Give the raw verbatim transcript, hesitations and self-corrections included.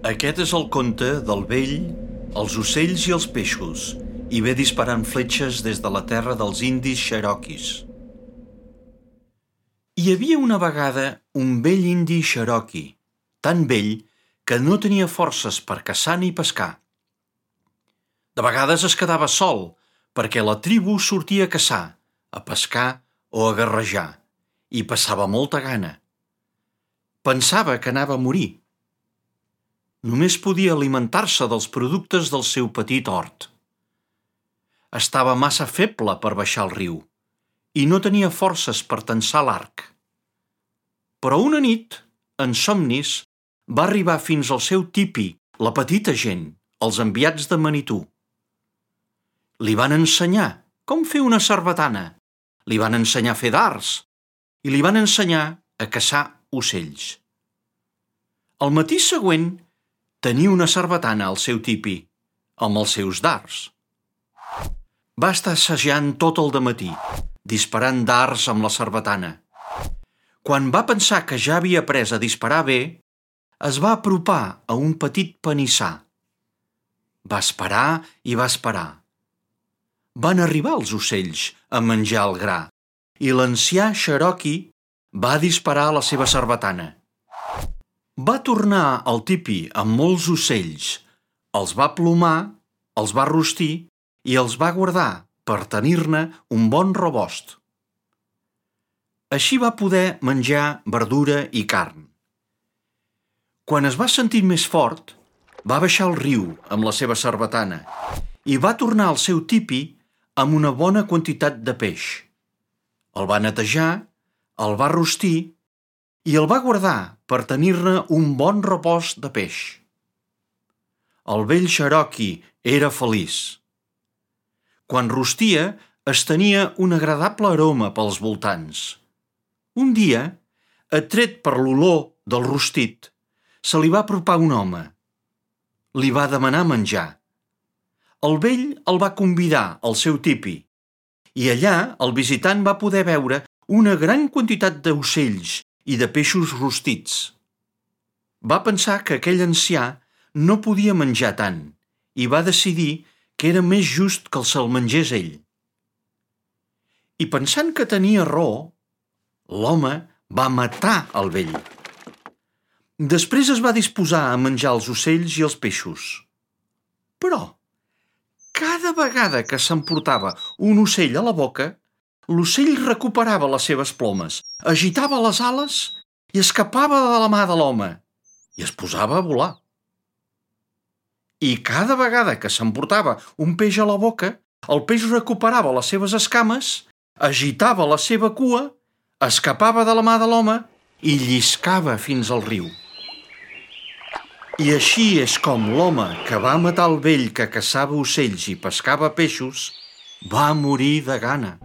Aquest és el conte del vell, els ocells i els peixos, i ve disparant fletxes des de la terra dels indis cherokees. Hi havia una vegada un vell indi cherokee, tan vell que no tenia forces per caçar ni pescar. De vegades es quedava sol, perquè la tribu sortia a caçar, a pescar o a guerrejar, i passava molta gana. Pensava que anava a morir. Només podia alimentar-se dels productes del seu petit hort. Estava massa feble per baixar el riu i no tenia forces per tensar l'arc. Però una nit, en somnis, va arribar fins al seu tipi, la petita gent, els enviats de Manitou. Li van ensenyar com fer una sarbatana, li van ensenyar a fer dards i li van ensenyar a caçar ocells. Al matí següent, tenia una sarbatana al seu tipi, amb els seus dards. Va estar assajant tot el dematí, disparant dards amb la sarbatana. Quan va pensar que ja havia après a disparar bé, es va apropar a un petit panissar. Va esperar i va esperar. Van arribar els ocells a menjar el gra i l'ancià Cherokee va disparar la seva sarbatana. Va tornar al tipi amb molts ocells, els va plomar, els va rostir i els va guardar per tenir-ne un bon rebost. Així va poder menjar verdura i carn. Quan es va sentir més fort, va baixar al riu amb la seva sarbatana i va tornar al seu tipi amb una bona quantitat de peix. El va netejar, el va rostir i el va guardar per tenir-ne un bon rebost de peix. El vell Cherokee era feliç. Quan rostia, es tenia un agradable aroma pels voltants. Un dia, atret per l'olor del rostit, se li va apropar un home. Li va demanar menjar. El vell el va convidar al seu tipi i allà el visitant va poder veure una gran quantitat d'ocells i de peixos rostits. Va pensar que aquell ancià no podia menjar tant i va decidir que era més just que se'l mengés ell. I pensant que tenia raó, l'home va matar el vell. Després es va disposar a menjar els ocells i els peixos. Però, cada vegada que s'emportava un ocell a la boca, l'ocell recuperava les seves plomes, agitava les ales i escapava de la mà de l'home i es posava a volar. I cada vegada que s'emportava un peix a la boca, el peix recuperava les seves escames, agitava la seva cua, escapava de la mà de l'home i lliscava fins al riu. I així és com l'home que va matar el vell que caçava ocells i pescava peixos va morir de gana.